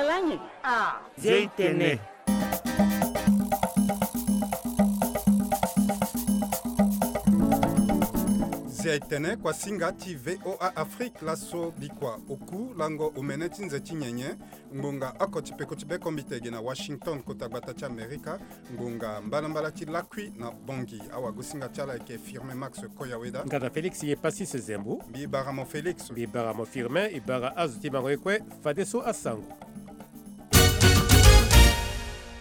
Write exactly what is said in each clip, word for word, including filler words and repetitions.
Langi. Ah. Zia itene. Zia itene kwa singa ti V O A Afrique, laso bikua oku lango omene ti nze ti nyenye. Ngbonga oko ti peko ti be kombite ge na Washington, kota gbata ti Amerika. Ngbonga mbalambala ti lakui na Bongi. Awagosinga ti ala ayeke Firmin Max Koyaweda. Nga na Félix ye Passis Zembo. Mbi bara mo Félix. Mbi bara mo Firmin, e bara azo ti mango ye kue. Fadeso asango.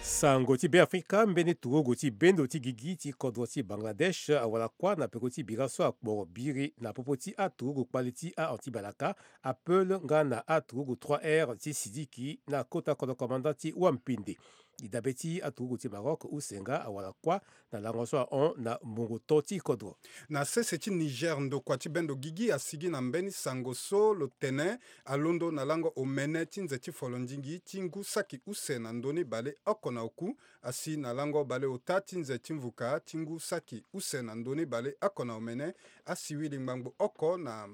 Sango ti Beafrika. Mbeni turugu ti bendo ti gigi ti kodro ti Bangladesh awara kuâ na peko ti bira so akporo biri na popo ti aturugu kpale ti ahon ti balaka, apeul nga na aturugu trois R ti Sidiki na kota kodro komanda ti Wampinde. E dabe ti aturugu ti Maroc use nga awara kuâ na lango so ahon na mbongo to ti kodro. Na sese ti Niger, ndokua ti bendo gigi asigi na mbeni sango so lo tene alondo na lango omene ti nze ti folondingi ti ngu saki use na ndö ni baleoko na oku, asi na lango baleota ti nze ti mvuka ti ngu saki use na ndö ni baleoko na omene, asiwili ngbangbo oko na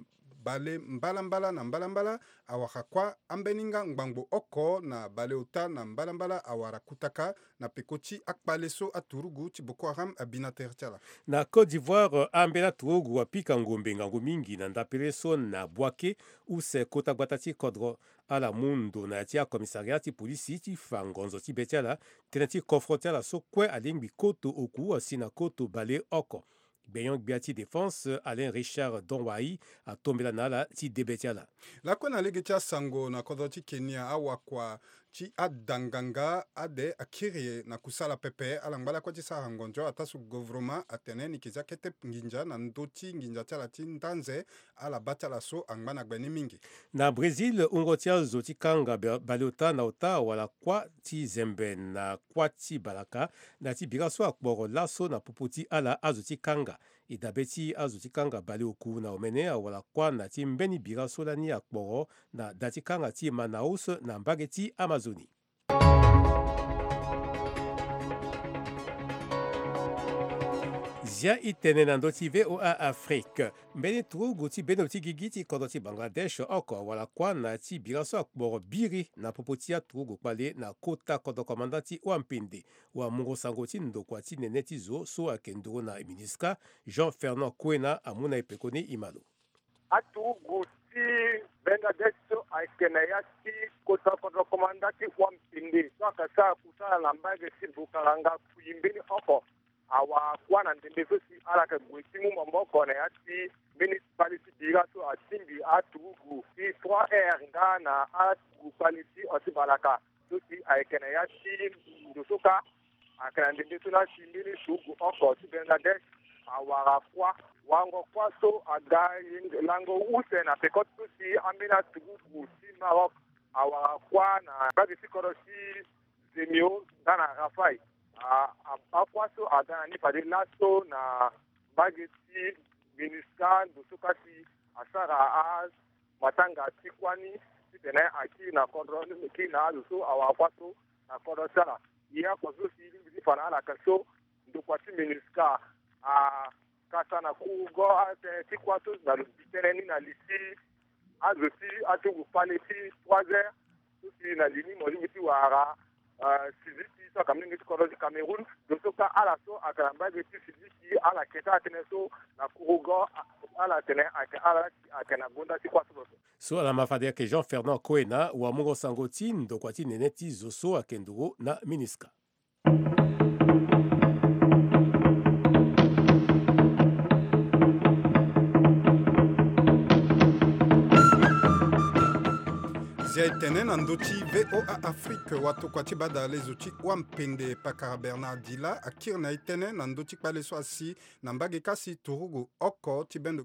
bale mbalambala na mbalambala awara kuâ, ambeni nga ngbangbo oko na baleota na mbalambala awara kutaka na peko ti akpale so aturugu ti Boko Haram abi na tere ti ala. Na Côte d'Ivoire, ambeni aturugu apika ngombe ngangu mingi na ndapere so na Bouaké, use kota gbata ti kodro. Ala mu ndo na ya ti acommissariat ti polisi ti fa ngonzo ti be ti ala, tënë ti kofro ti ala so kue alingbi koto oku asi na koto baleoko. Gbenyo-gbia ti défense Alain Richard Donwai atombela na ala ti debe ti ala. Lakue na lege ti asango, na kodro ti Kenya, awakua ti adanganga ade akiri na kusala pepe. Ala ngba lakue ti sara ngonzo ataa so govoroma atene ni ke zia kete nginza na ndö ti nginza ti ala ti ndanze. Ala baa ti ala so angba na gbe ni mingi. Na Brésil, wungo ti azo ti kanga ba-, baleota na ota awara kuâ ti zembe na kuâ ti balaka, na ti bira so akporo laso na popo ti ala azo ti kanga. E dabe ti azo ti kanga baleoku na omene awara kuâ na ti mbeni bira so lani akporo na da ti kanga ti Manaus na mbage ti Amazonie. Zia itene na ndö ti V O A Afrique. Mbeni turugu ti bendo ti gigi ti kodro ti Bangladesh oko awara kuâ na ti bira so akporo biri na popo ti aturugu kpale na kota kodro komanda ti Wampinde. Wamungo sango ti ndokua ti nene ti zo so ayeke nduru na MINUSCA, Jean Fernand Koena, amu na e pekoni e ma lo. Aturugu ti Bangladesh so ayeke na ya ti kota kodro komanda ti Wampinde so ayeke sara kusala na mbage ti Bukaranga kui mbeni oko awara kuâ na ndembe so si ala yeke gue ti mu maboko na ya ti mbeni kpale ti bira so atingbi aturugu ti trois R nga na aturugu kpale ti hon ti balaka. So si ayeke na ya ti ndo so kâ, ayeke na ndembe so na si mbeni turugu oko ti Bangladesh awara kuâ. Wango kuâ so aga lango use na peko ti so si ambeni aturugu ti Maroc awara kuâ na mbage ti kodro ti Zemio nga na Rafai. A, a, akuâ so aga na ni fade laso na mbage ti MINUSCA, ndo so kâ si asara a matanga ti kuâ ni titene akiri na kodro, kiri na azo so awara kuâ so na kodro ti ala. Ye oko so si lingbi ti fa na ala ayeke so ndokua ti MINUSCA akasa na kurugo atënë ti kuâ so na lo bi tënë ni na li ti azo ti aturugu kpale ti trois R so si na li ni mo lingbi ti wara, ah, Sidiki so ayeke molenge ti kodro ti Cameroun. Ndo so kâ ala so ayeke na mbage ti Sidiki ala yeke ti atënë so na kurugo, ah, ala tene ayeke ala ayeke na gonda ti kuâ so. So ala ma fade ayeke Jean Fernand Koena, wamungo sango ti ndokua ti nene ti zo so ayeke nduru na MINUSCA. Zia e tene na ndö ti V O A Afrique, watokua ti badalezo ti Wampende, pakara Bernard Dila akiri na e tënë na ndö ti kpale so asi na mbage kasi turugu oko ti bendo.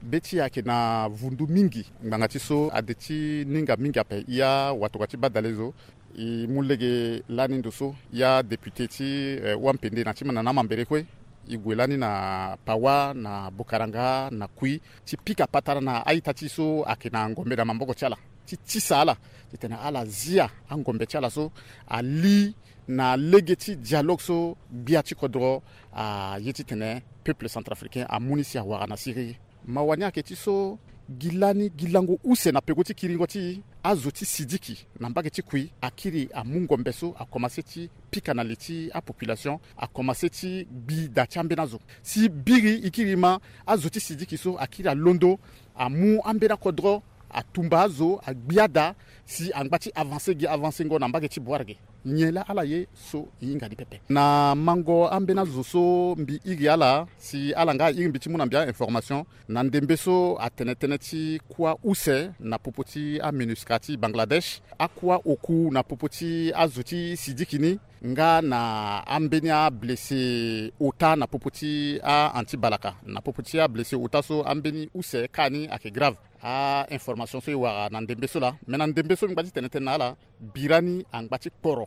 Be ti e ayeke na vundu mingi ngbanga ti so ade ti ninga mingi ape. Ya watokua ti badalezo, e mu lege lani ndo so ya depute ti, eh, Wampende na ti ma na na mambere kue. E gue lani na Pawa, na Bokaranga, na Kui, ti pika patara na a-ita ti e so ayeke na ngombe na maboko ti ala, ti tisa ala titene ala zia angombe ti ala so ali na lege ti dialogue so gbia ti kodro aye titene peuple centrafricain amu ni si awara na siriri. Mawa ni ayeke ti so Gi lani gi lango use na peko ti kiringo ti azo ti sidiki na mbage ti kui akiri amu ngombe so akomanse ti pika na li ti apopulation, akomanse ti gbi da ti ambeni azo. Si biri e kiri ma azo ti sidiki so akiri alondo amu ambeni akodro, atumba azo, agbia da, si angba ti avanse gi avansengo na mbage ti boire ge. Nyen laa ala ye so e hinga ni pepe na mango ambeni azo so mbi iri ala si ala nga airi mbi ti mu na mbi a-information. Na ndembe so atene tënë ti kuâ use na popo ti aMINUSCA ti Bangladesh, akuâ oku na popo ti azo ti sidiki ni, nga na ambeni ablessé ota na popo ti a-anti balaka. Na popo ti ablessé ota so ambeni use ka ni ayeke grave. A-information so e wara na ndembe so laa, me na ndembe so mbi ngba ti tene tënë na ala, bira ni angba ti kporo.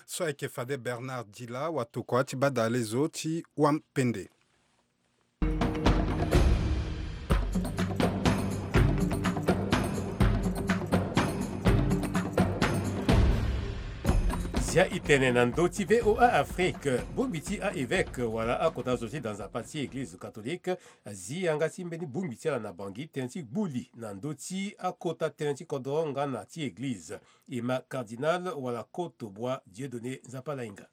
So ayeke fade Bernard Dila watokua ti badale zo ti wampende. Zia e tene na ndö ti VOA Afrique, bongbi ti a-évêque wala akota zo ti da nzapa ti église catholique azi yanga ti mbeni bongbi ti ala na Bangui tënë ti gbu li na ndö ti akota tënë ti kodro nga na ti église. E ma cardinal wala koto bua Dieudonné Nzapa Lainga.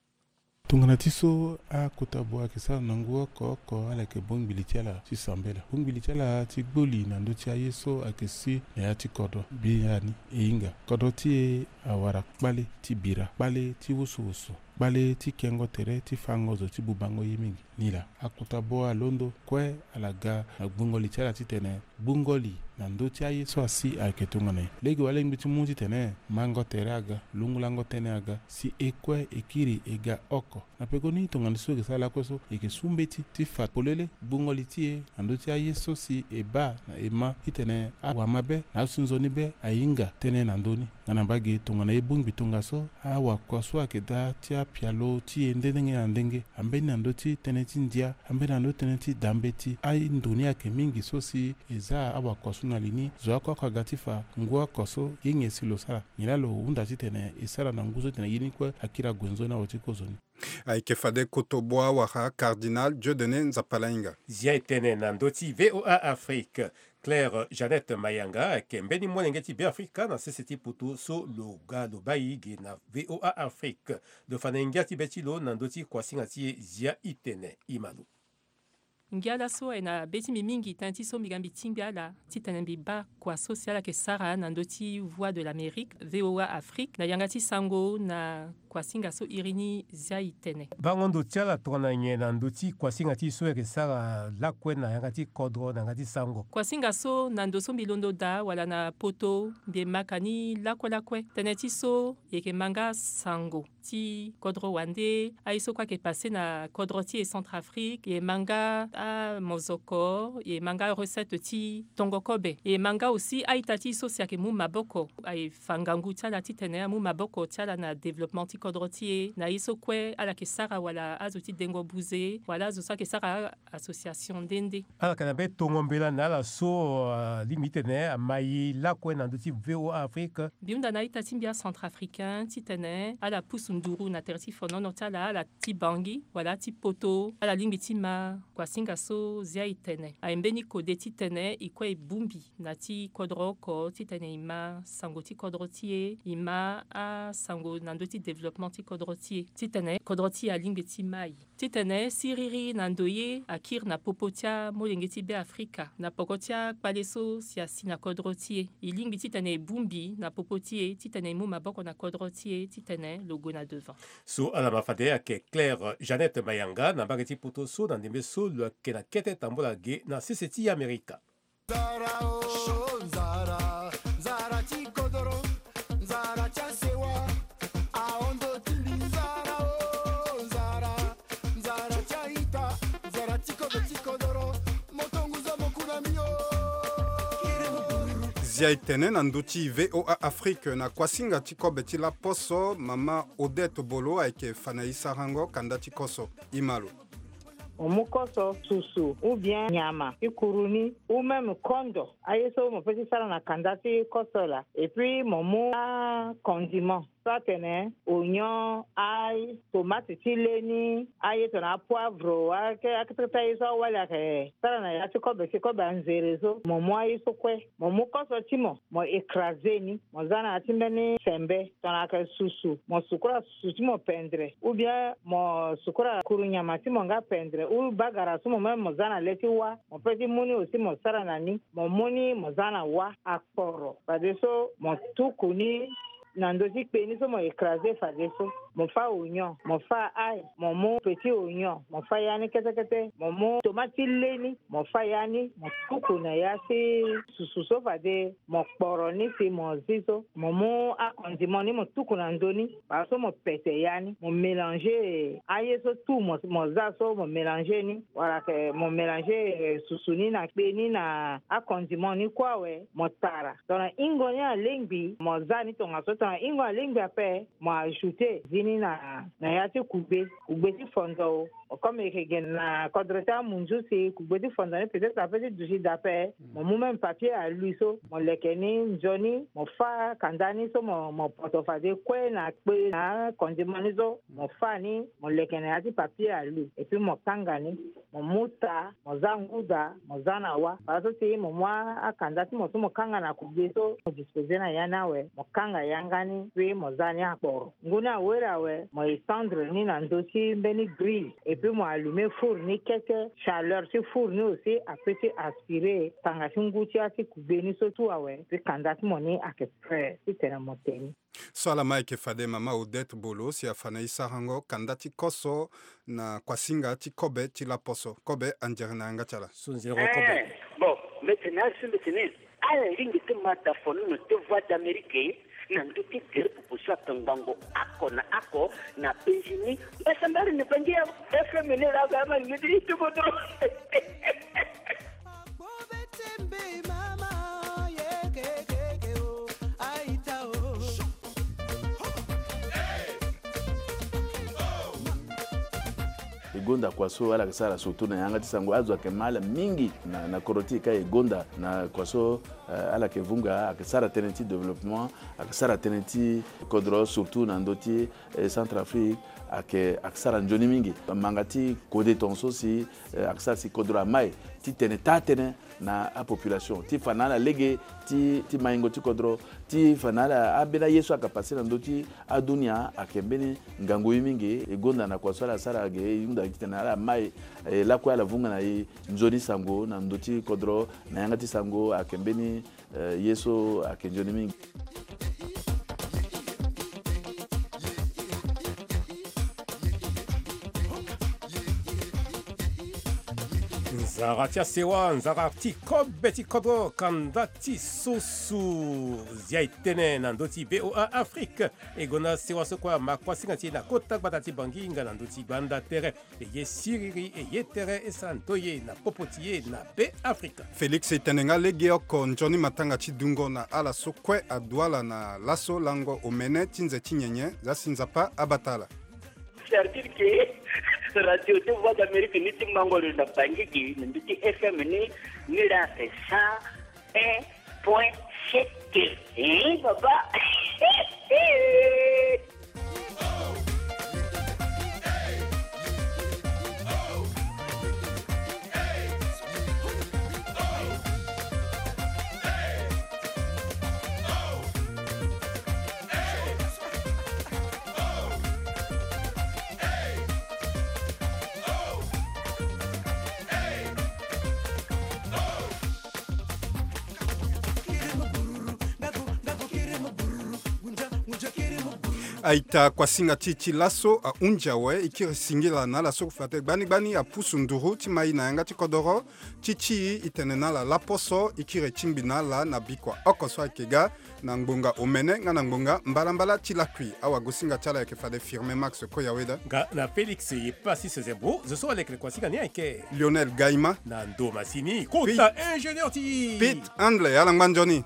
Tongana ti so akota bua ayeke sara na ngu oko oko ala yeke bongbi li ti ala ti sambela, bongbi li ti ala ti gbu li na ndö ti aye so ayeke si na ya ti kodro. Biani e hinga kodro ti e awara kpale ti bira, kpale ti wusuwusu, kpale ti kengo tere ti fango zo ti bubango ye mingi. Nilaa akota bua alondo kue ala ga na gbungo li ti ala titene gbungo li na ndö ti aye so asi ayeke tongana nyen. Lege walingbi ti mu titene mango tere aga, lungulango tënë aga, si e kue e kiri e ga oko. Na pekoni tongana so e yeke sara lakue so e yeke su mbeti ti fa polele gbungo li ti e na ndö ti aye so si e baa na e ma titene awamabe na asunzoni be ahinga tënë na ndö ni. Nga na mbage tongana e bongbi tongaso, awakua so ayeke daa ti apialo ti e nde ndenge na ndenge, ambeni na ndö ti tënë ti ndia, ambeni na ndö ti tënë ti da mbeti. Aye ndo ni ayeke mingi so si e za awakua so na li ni. Zo oko oko aga ti fa ngu oko so ye nyen si lo sara. Nyen laa lo hunda titene e sara na ngu so titene ye ni kue akiri ague nzoni na oro ti kozoni. Ayeke fade koto bua wara cardinal Dieudonné Nzapalainga. Zia e tene na ndö ti VOA Afrique. Claire Jeannette Mayanga ayeke mbeni molenge ti Beafrika na sese ti poto so lo ga lo bai ge na VOA Afrique. Lo fa na ngia ti be ti lo na ndö ti kuasinga ti e. Zia e tene e ma lo. Ngia laso aye na be ti mbi mingi tënë ti so mbi ga mbi tingbi ala titene mbi baa kua so si ala yeke sara na ndö ti Voix de l'Amérique, VOA Afrique, na yanga ti sango na kuasinga so iri ni. Zia e tene. Bango ndo ti ala tongana nyen na ndö ti kuasinga ti e so e yeke sara lakue na yanga ti kodro na yanga ti sango? Kuasinga so na ndo so mbi londo daa wala na poto mbi yeke maka ni lakue lakue. Tënë ti so e yeke ma nga sango ti kodro wande, aye so kue ayeke pase na kodro ti e Centrafrique, e ma nga amozoko, e ma nga recette ti tongo kobe, e ma nga aussi a-ita ti e so si ayeke mu maboko, aye fa ngangu ti ala titene amu maboko ti ala na développement ti kodro ti e na ye so kue ala yeke sara wala azo ti dengo buze wala azo so ayeke sara association nde nde. Ala yeke na be tongo mbela na ala so alingbi titene ama e lakue na ndö ti VOA Afrique. Mbi hunda na a-ita ti mbi acentrafricain titene ala pusu nduru na tere ti fonono ti ala, ala ti Bangui wala ti Poto, ala lingbi ti ma kuasinga so Zia e tene. Aye mbeni kode titene e kue e bongbi na ti kodro oko titene e ma sango ti kodro ti e, e ma asango na ndö ti développement ti kodro ti e titene kodro ti e alingbi ti ma e. Titene siriri na ndoye akiri na popo ti amolenge ti Beafrika na poko ti akpale so si asi na kodro ti e. E lingbi titene e bongbi na popo ti e titene e mu maboko na kodro ti e titene lo gue na devant. So ala ma fade ayeke Claire Jeannette Mayanga na mbage ti poto so na ndembe so lo yeke na kete tambola ge na sese ti Amerika. Nzara o, nzara, nzara ti kodoro, nzara ti asewa, ahondo ti mbi. Nzara o, nzara, nzara ti a-ita, nzara ti kobe ti kodoro, moto ngu zo mo ku na mbi o. Zia e tene na ndö ti VOA Afrique na kuasinga ti kobe ti laposo, mama Odette Bolo ayeke fa na e sarango kanda ti koso. E ma lo. Mo mu koso, susu, ou bien nyama ti kuru ni, ou même kondo, aye so mo peut ti sara na kanda ti koso laa. Et puis mo mu acondiment, so atene oignon, ail, tomate ti leni, aye tongana apoivre, ake akete kete aye so awali ayeke sara na ya ti kobe si kobe anzere so. Mo mu aye so kue, mo mu koso ti mo, mo écrase ni, mo za na ya ti mbeni sembe tongana ayeke susu, mo sukura susu ti mo pendre, ou bien mo sukura kuru nyama ti mo nga pendre, ou bagara so mo même mo za na le ti wâ, mo peut ti mu ni aussi mo sara na ni, mo mu ni mo za na wâ akporo. Fadeso mo tuku ni na ndö ti kpe ni so mo écrase fadeso. Mo fâ oignon, mo fâ ail, mo mu petit oignon, mo fâ ya ni kete kete, mo mu tomate ti leni, mo fâ ya ni, mo tuku na ya ti susu so fade mo kporo ni si mo zi so, mo mu akondimon ni mo tuku na ndö ni, baa so mo pete ya ni, mo mélanger aye so tout mo, mo za so mo mélanger ni, wala ke mo mélanger, eh, susu ni na kpe ni na akondimon ni kue awe, mo tara. Tongana hingo ni alingbi, mo za ni tongaso. Tongana hingo alingbi ape, mo ajouter zi ni na, na ya ti kugbe, kugbe ti fondo. Comme e yeke ge na kodro ti amunzu si kugbe ti fondo ni peut-être ape ti duti daa ape, mo mu même papier alu so, mo leke ni nzoni, mo fâ kanda ni so mo, mo poto fade kue na kpe na akondimon ni so, mo fâ ni, mo leke na ya ti papier alu, et puis mo kanga ni, mo mu taa, mo za nguda, mo za na wâ. Baa so si mo mu akanda ti mo so mo kanga na kugbe so, mo disposer na ya ni awe, mo kanga yanga ni, puis mo za ni akporo. Ngu ni awere awe, mo étendre ni na ndö ti mbeni grille, et puis mo allumer four ni kete. Chaleur ti four ni aussi apeut ti aspirer tanga ti ngu ti ya ti kugbe ni so tout awe, puis kanda ti mo ni ayeke prêt titene mo te ni. So ala ma ayeke fade mama Odette Bolo si afa na e sarango kanda ti koso na kuasinga ti kobe ti laposo. Kobe anzere na yanga ti ala. So nzere kobe. Eh, bon, mbeti na so mbeti ni. Ala lingbi ti ma da fo nono ti Voix d'Amérique na ndö ti gere pupu so ayeke ngbangbo oko na oko na penzi ni. Mbasambari ni bangi ya F M ni la ga ma lingbi ti tuku dro. E gonda kua so ala yeke sara surtout na yanga ti sango, azo ayeke ma ala mingi na, na kodro ti e ka e gonda na kua so, eh, ala yeke vunga, ayeke sara tënë ti développement, ayeke sara tënë ti kodro surtout na ndö ti, eh, Centrafrique, ayeke, ayeke sara nzoni mingi. Manga ti kode tongaso si, eh, ayeke sara si kodro amai ti tene taa-tënë na apopulation ti fa na ala lege ti, ti maingo ti kodro, ti fa na ala ambeni aye so ayeke pase na ndö ti adunia ayeke mbeni ngangu ye mingi. E gonda na kua so ala sara ge, e hunda titene ala mai, eh, lakue ala vunga na e nzoni sango na ndö ti kodro na yanga ti sango ayeke mbeni, eh, ye so ayeke nzoni mingi. Nzara ti asewa, nzara ti kobe ti kodro, kanda ti susu. Zia e tene na ndö ti V O A Afrique. E gonda sewa so kue ama kuasinga ti e na kota gbata ti Bangi nga na ndö ti gbanda tere. E ye siriri, e ye tere, e sara ndoye na popo ti e na Be Afrika. Félix, e tene nga legeoko nzoni matanga ti dungo na ala so kue aduala na laso lango omene ti nze ti nyenye. Za si Nzapa abata ala. C'est-à-dire que radio ti Voix d'Amérique ni ti mango lo na Bangui gi na mbi ti F M ni, ni la c'est cent un point sept. Hein, papa? Aita, kuasinga ti e ti laso ahunzi awe. E kiri singila na ala so kue fade gbani gbani apusu nduru ti ma e na yanga ti kodoro. Ti ti e, e tene na ala laposo, e kiri tingbi na ala na bikua oko so ayeke ga na ngbonga omene nga na ngbonga mbalambala ti lakui. Awagosinga ti ala ayeke fade Firmin Max Koyaweda. Nga na Félix Epassis Zebro. Zo so alekere kuasinga ni ayeke Lionel Gaima. Na ndo masini kota ingénieur ti Pete Handle. Ala ngba nzoni.